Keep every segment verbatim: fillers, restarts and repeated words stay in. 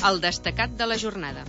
el destacat de la jornada.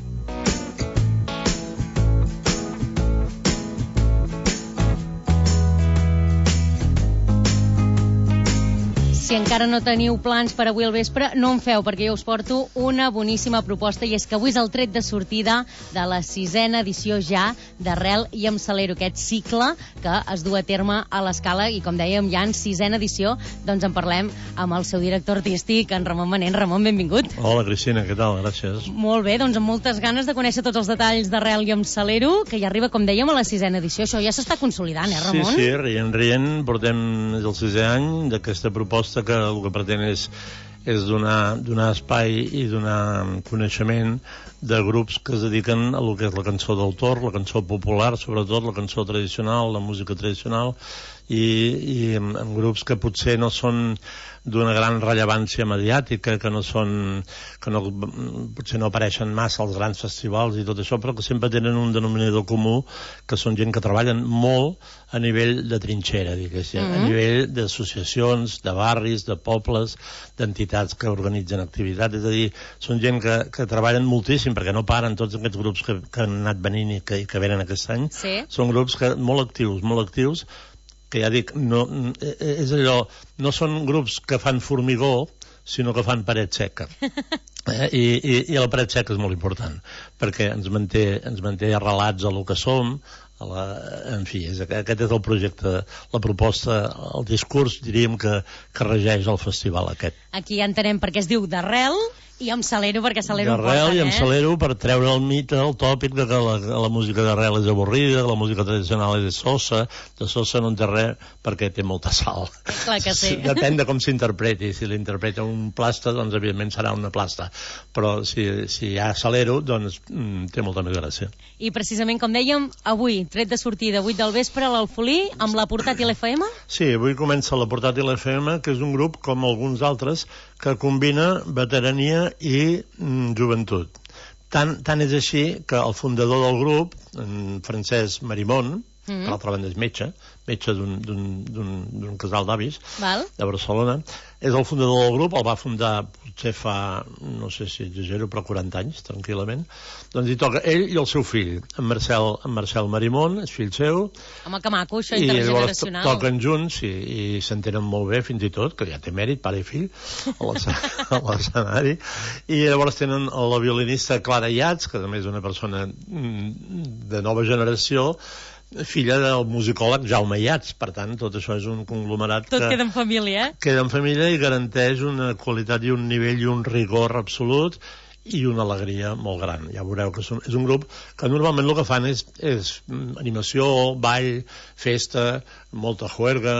Si encara no teniu plans per avui al vespre, no en feu, perquè jo us porto una boníssima proposta, i és que avui és el tret de sortida de la sisena edició ja d'Arrel i amb Salero, aquest cicle que es du a terme a l'Escala, i com dèiem, ja en sisena edició, doncs en parlem amb el seu director artístic, en Ramon Manent. Ramon, benvingut. Hola, Cristina, què tal? Gràcies. Molt bé, doncs amb moltes ganes de conèixer tots els detalls d'Arrel i amb Salero, que ja arriba, com dèiem, a la sisena edició. Això ja s'està consolidant, eh, Ramon? Sí, sí, rient, rient, portem el sisè any d'aquesta proposta que el que pretén és, és donar, donar espai i donar coneixement de grups que es dediquen a lo que és la cançó d'autor, la cançó popular, sobretot la cançó tradicional, la música tradicional, i, i en, en grups que potser no són d'una gran rellevància mediàtica, que no són, que no, potser no apareixen massa als grans festivals i tot això, però que sempre tenen un denominador comú, que són gent que treballen molt a nivell de trinxera, diguéssim, mm-hmm. a nivell d'associacions, de barris, de pobles, d'entitats que organitzen activitats, és a dir, són gent que, que treballen moltíssim, perquè no paren tots aquests grups que, que han anat venint i que, i que venen aquest any, sí. Són grups que, molt actius, molt actius, que ja dic, no, és allò, no són grups que fan formigó, sinó que fan paret seca. Eh? I, i, I la paret seca és molt important, perquè ens manté, ens manté arrelats a lo que som, a la, en fi, és, aquest és el projecte, la proposta, el discurs, diríem, que, que regeix el festival aquest. Aquí ja entenem per què es diu d'Arrel, i amb Salero, perquè Salero ho porten, eh? I amb eh? Salero per treure el mite, el tòpic de que la, la música d'Arrel és avorrida, que la música tradicional és sosa, de sosa no en té res perquè té molta sal. Clar que sí. Depèn de com s'interpreti. Si l'interpreta un plasta, doncs evidentment serà una plasta. Però si, si hi ha Salero, doncs mm, té molta més gràcia. I precisament, com dèiem, avui, tret de sortida, vuit del vespre, a l'Alfolí, amb la Portàtil F M? Sí, avui comença la Portàtil F M, que és un grup, com alguns altres, que combina veterania i mm, joventut. Tant, tant és així que el fundador del grup, en Francesc Marimón, mm-hmm. per l'altra banda és metge, metge d'un casal d'avis de Barcelona, és el fundador del grup, el va fundar potser fa, no sé si exagero, però quaranta anys, tranquil·lament. Doncs hi toca ell i el seu fill, en Marcel, en Marcel Marimón, és fill seu. Home, que maco, això intergeneracional. I llavors toquen junts i, i s'entenen molt bé, fins i tot, que ja té mèrit, pare i fill, a l'escenari. I llavors tenen la violinista Clara Iats, que també és una persona de nova generació, filla del musicòleg Jaume Iats. Per tant, tot això és un conglomerat tot que queda en família, eh? Queda en família i garanteix una qualitat i un nivell i un rigor absolut i una alegria molt gran. Ja veureu que és un grup que normalment el que fan és, és animació, ball, festa, molta juerga,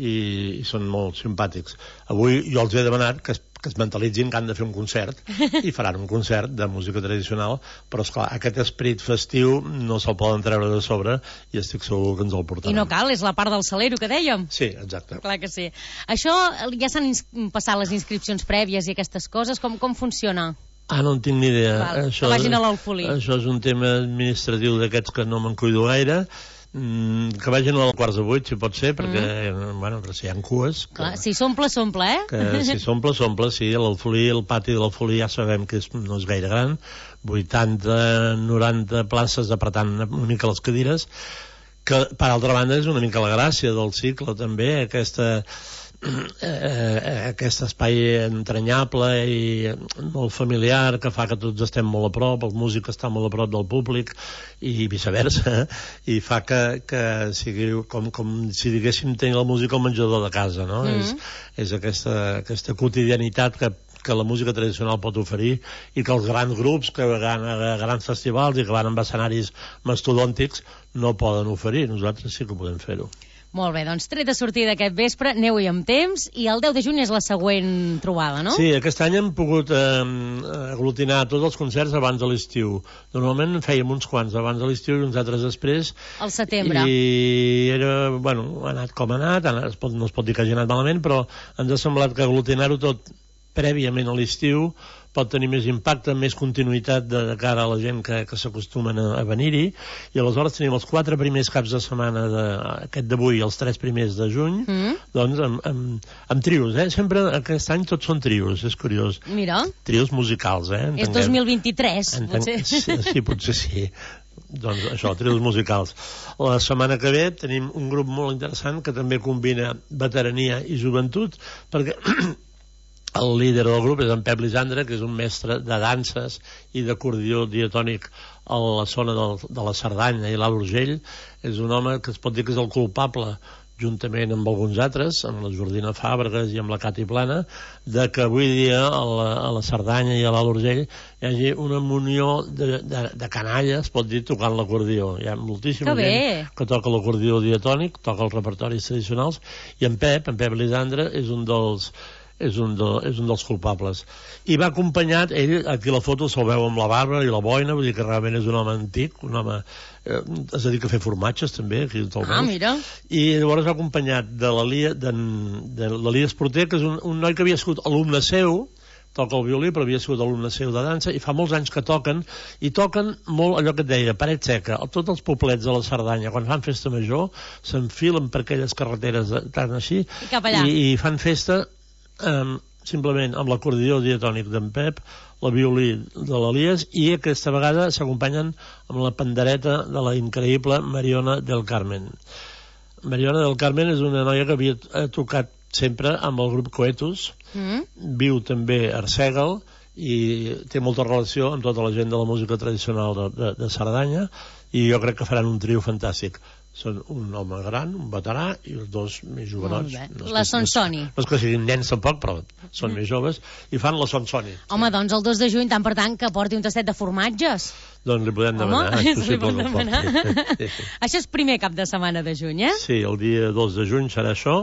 i, i són molt simpàtics. Avui jo els he demanat que es que es mentalitzin que han de fer un concert i faran un concert de música tradicional, però esclar, aquest esperit festiu no se'l poden treure de sobre i estic segur que ens el portaran. I no cal, és la part del Salero que dèiem. Sí, exacte. Clar que sí. Això, ja s'han passat les inscripcions prèvies i aquestes coses, com, com funciona? Ah, no en tinc ni idea. Val, això, que vagin a l'Alfolí. Això és un tema administratiu d'aquests que no me'n cuido gaire. Mm, que vagin a les quarts de vuit, si pot ser, perquè, mm. bueno, però si hi ha cues... Clar, que, si s'omple, s'omple, eh? Que si s'omple, s'omple, sí. L'Alfolí, el pati de l'Alfolí ja sabem que és, no és gaire gran, vuitanta noranta places apretant una mica les cadires, que, per altra banda, és una mica la gràcia del cicle, també, aquesta... Eh, aquest espai entranyable i molt familiar que fa que tots estem molt a prop, el músic està molt a prop del públic i viceversa, i fa que, que sigui com, com si diguéssim tenir la música al menjador de casa, no? Mm. És, és aquesta, aquesta quotidianitat que que la música tradicional pot oferir i que els grans grups que van a grans festivals i que van amb escenaris mastodòntics no poden oferir. Nosaltres sí que podem fer-ho. Molt bé, doncs tret de sortida aquest vespre, aneu-hi amb temps, i el deu de juny és la següent trobada, no? Sí, aquest any hem pogut eh, aglutinar tots els concerts abans de l'estiu. Normalment fèiem uns quants abans de l'estiu i uns altres després. Al setembre. I era, bueno, ha anat com ha anat, es pot, no es pot dir que hagi anat malament, però ens ha semblat que aglutinar-ho tot prèviament a l'estiu pot tenir més impacte, més continuïtat de, de cara a la gent que, que s'acostumen a, a venir-hi, i aleshores tenim els quatre primers caps de setmana de, aquest d'avui i els tres primers de juny, mm. doncs amb, amb, amb trios, eh? Sempre aquest any tots són trios, és curiós. Mira. Trios musicals, eh? Entenguem. És dos mil vint-i-tres, Entenc... potser. Sí, sí, potser sí. Doncs això, trios musicals. La setmana que ve tenim un grup molt interessant que també combina veterania i joventut, perquè el líder del grup és en Pep Lisandre, que és un mestre de danses i d'acordió diatònic a la zona del, de la Cerdanya i l'Alt Urgell. És un home que es pot dir que és el culpable, juntament amb alguns altres, amb la Jordina Fàbregas i amb la Cati Plana, de que avui dia a la, a la Cerdanya i a l'Alt Urgell hi hagi una munió de, de, de canalles, pot dir, tocant l'acordió. Hi ha moltíssima que gent que toca l'acordió diatònic, toca els repertoris tradicionals, i en Pep, en Pep Lisandre, és un dels és un, de, és un dels culpables. I va acompanyat, ell, aquí la foto se'l veu amb la barba i la boina, vull dir que realment és un home antic, un home, eh, es dedica a fer formatges també, aquí te'l veus. Ah, mira. I llavors va acompanyat de l'Elies de, de l'Elies Porter, que és un, un noi que havia sigut alumne seu, toca el violí, però havia sigut alumne seu de dansa, i fa molts anys que toquen, i toquen molt allò que et deia, paret seca. Tots els poblets de la Cerdanya, quan fan festa major, s'enfilen per aquelles carreteres tan així, i, cap allà. i, i fan festa Um, simplement amb l'acordió diatònic d'en Pep, la violí de l'Elies, i aquesta vegada s'acompanyen amb la pandereta de la increïble Mariona del Carmen. Mariona del Carmen és una noia que havia tocat sempre amb el grup Coetus, mm. viu també a Arsèguel i té molta relació amb tota la gent de la música tradicional de, de, de Cerdanya, i jo crec que faran un trio fantàstic. Són un home gran, un veterà, i els dos més jovenots. No la Sonsoni. No és que siguin nens tampoc, però són mm. més joves, i fan la Sonsoni. Home, sí. Doncs el dos de juny, tant per tant, que porti un tastet de formatges. Doncs li podem demanar. Home, és possible li podem demanar. Sí, sí. Això és primer cap de setmana de juny, eh? Sí, el dia dos de juny serà això.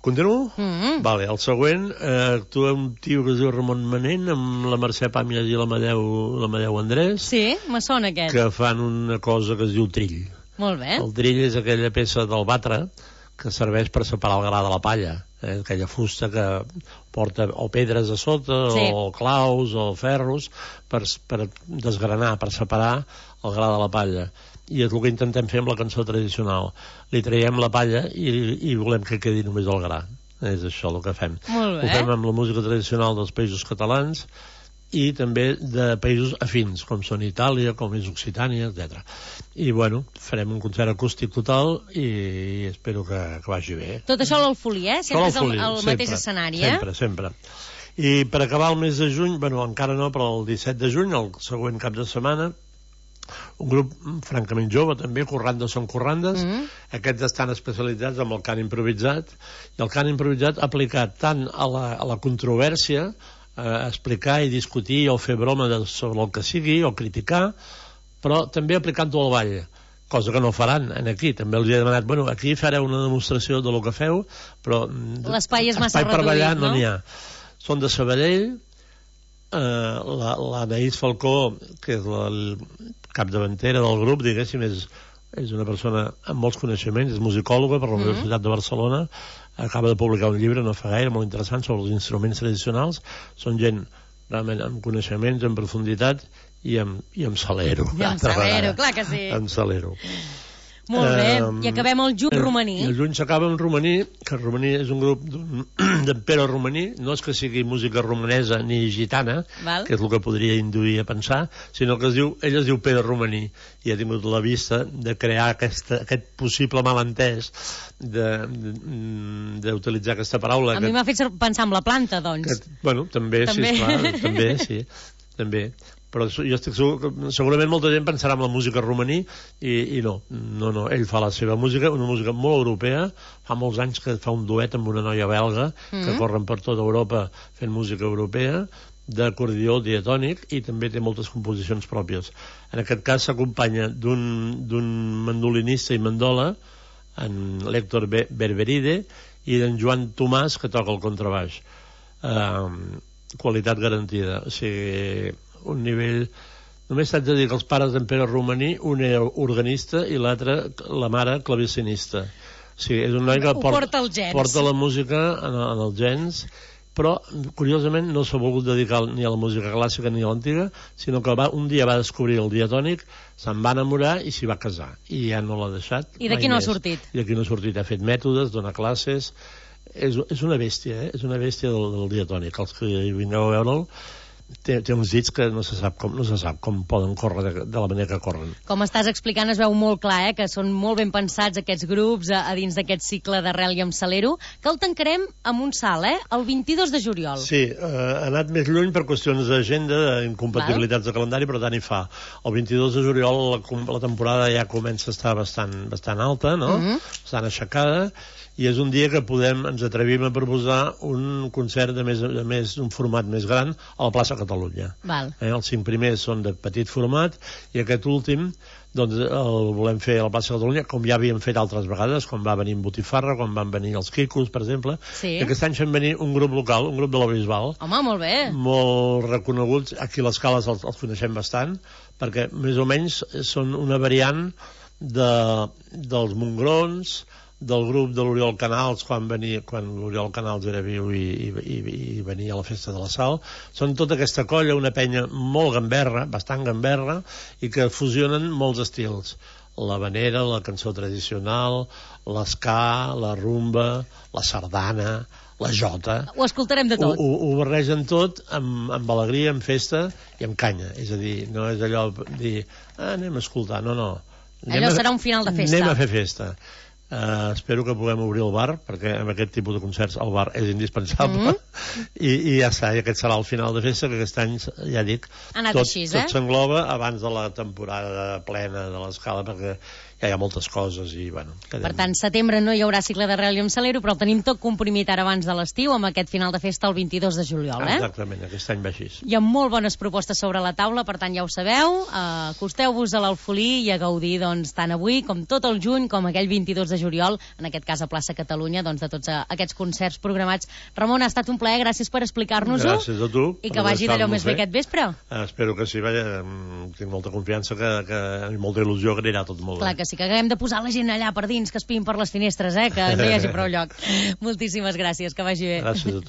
Continuo? Mm -hmm. Vale, el següent, eh, actua un tio que es diu Ramon Manent, amb la Mercè Pàmies i l'Amadeu l'Amadeu Andrès. Sí, me sona aquest. Que fan una cosa que es diu trill. Molt bé. El trill és aquella peça del batre que serveix per separar el gra de la palla, eh? Aquella fusta que porta o pedres a sota, sí. o claus o ferros per, per desgranar, per separar el gra de la palla. I és el que intentem fer amb la cançó tradicional. Li traiem la palla i, i volem que quedi només el gra. És això el que fem. Molt bé. Ho fem amb la música tradicional dels països catalans i també de països afins, com són Itàlia, com és Occitània, etcètera. I, bueno, farem un concert acústic total i, i espero que, que vagi bé. Tot això a l'Alfolí, eh? Sempre és el, el sempre, mateix escenari, eh? Sempre, sempre. I per acabar el mes de juny, bueno, encara no, però el disset de juny, el següent cap de setmana, un grup francament jove també, Corrandes són Corrandes, mm -hmm. aquests estan especialitzats en el cant improvisat, i el cant improvisat aplicat tant a la, a la controvèrsia, a explicar i discutir o fer broma de, sobre el que sigui o criticar, però també aplicant-ho al ball, cosa que no faran en aquí. També els he demanat, bueno, aquí fareu una demostració de lo que feu, però l'espai és massa reduït, per ballar no no n'hi ha. Són de Sabadell, eh, l'Anaïs la, Falcó, que és la capdavantera del grup, diguéssim, és, és una persona amb molts coneixements, és musicòloga per la mm-hmm. Universitat de Barcelona, acaba de publicar un llibre no fa gaire molt interessant sobre els instruments tradicionals. Són gent realment amb coneixements en profunditat i amb, i amb salero. I amb salero, clar que sí. Amb salero. Molt bé, um, i acabem el juny romaní. I el juny s'acaba amb romaní, que el romaní és un grup d'en Pere Romaní, no és que sigui música romanesa ni gitana, val. Que és el que podria induir a pensar, sinó que es diu, ell es diu Pere Romaní, i ha tingut la vista de crear aquesta, aquest possible malentès d'utilitzar aquesta paraula. A que, mi m'ha fet pensar en la planta, doncs. Que, bueno, també, també, sí, esclar, també, sí, també. Però jo estic segur que segurament molta gent pensarà en la música romaní i, i no, no, no, ell fa la seva música, una música molt europea, fa molts anys que fa un duet amb una noia belga mm-hmm. que corren per tota Europa fent música europea, d'acordió diatònic, i també té moltes composicions pròpies. En aquest cas s'acompanya d'un mandolinista i mandola, en l'Héctor Berberide, i d'en Joan Tomàs, que toca el contrabaix. Uh, qualitat garantida, o sigui, un nivell... Només t'haig de dir que els pares d'en Pere Romaní, un era organista i l'altre, la mare, clavecinista. O sigui, és un noi que porta, porta, porta la música en, en els gens, però curiosament no s'ha volgut dedicar ni a la música clàssica ni a l'antiga, sinó que va, un dia va descobrir el diatònic, se'n va enamorar i s'hi va casar, i ja no l'ha deixat. I d'aquí no ha sortit. I d'aquí no ha sortit, ha fet mètodes, dona classes, és, és una bèstia, eh? És una bèstia del, del diatònic. Els que vingueu a veure'l, té, té uns dits que no se sap com, no se sap com poden córrer de, de la manera que corren. Com estàs explicant es veu molt clar, eh, que són molt ben pensats aquests grups a, a dins d'aquest cicle d'Arrel i amb Salero, que el tancarem amb un salt, eh, el vint-i-dos de juliol. Sí, eh, ha anat més lluny per qüestions d'agenda, d'incompatibilitats de calendari, però tant hi fa. El vint-i-dos de juliol la, la temporada ja comença a estar bastant, bastant alta, no? Mm-hmm. Bastant aixecada, i és un dia que podem, ens atrevim a proposar un concert de més, de més un format més gran a la plaça Catalunya. Val. Eh, els cinc primers són de petit format i aquest últim doncs el volem fer a la plaça Catalunya, com ja havíem fet altres vegades, quan va venir en Botifarra, quan van venir els Quicos, per exemple. Sí. I aquest any fem venir un grup local, un grup de la Bisbal. Home, molt bé. Molt reconeguts. Aquí a les Cales els, els coneixem bastant, perquè més o menys són una variant de, dels Mongrons, del grup de l'Oriol Canals quan venia, quan l'Oriol Canals era viu i, i, i, i venia a la festa de la Sal. Són tota aquesta colla, una penya molt gamberra, bastant gamberra, i que fusionen molts estils. La vanera, la cançó tradicional, l'esca, la rumba, la sardana, la jota. Ho escoltarem de tot. Ho, ho, ho barregen tot amb, amb alegria, amb festa i amb canya. És a dir, no és allò dir, ah, anem a escoltar, no, no. Anem allò a, serà un final de festa. Anem a fer festa. Uh, espero que puguem obrir el bar, perquè amb aquest tipus de concerts el bar és indispensable. Mm-hmm. I, i ja està, i aquest serà el final de festa, que aquest any, ja dic, tot, així, eh? tot s'engloba abans de la temporada plena de l'Escala, perquè ja hi ha moltes coses i, bueno... Quedem... Per tant, setembre no hi haurà cicle d'Arrel i amb Salero, però el tenim tot comprimit ara abans de l'estiu, amb aquest final de festa el vint-i-dos de juliol, eh? Exactament, aquest any va així. Hi ha molt bones propostes sobre la taula, per tant, ja ho sabeu, uh, acosteu-vos a l'Alfolí i a gaudir, doncs, tant avui com tot el juny, com aquell vint-i-dos de juliol, en aquest cas a Plaça Catalunya, doncs, de tots uh, aquests concerts programats. Ramon, ha estat un plaer, gràcies per explicar-nos-ho. Gràcies a tu. I que vagi d'allò més bé aquest vespre. Uh, espero que sí, vaja, tinc molta confiança que, que, i molta il·lusió que anirà tot molt bé. Clar que sí, que haguem de posar la gent allà per dins, que espien per les finestres, eh? Que no hi hagi prou lloc. Moltíssimes gràcies, que vagi bé. Gràcies a tu.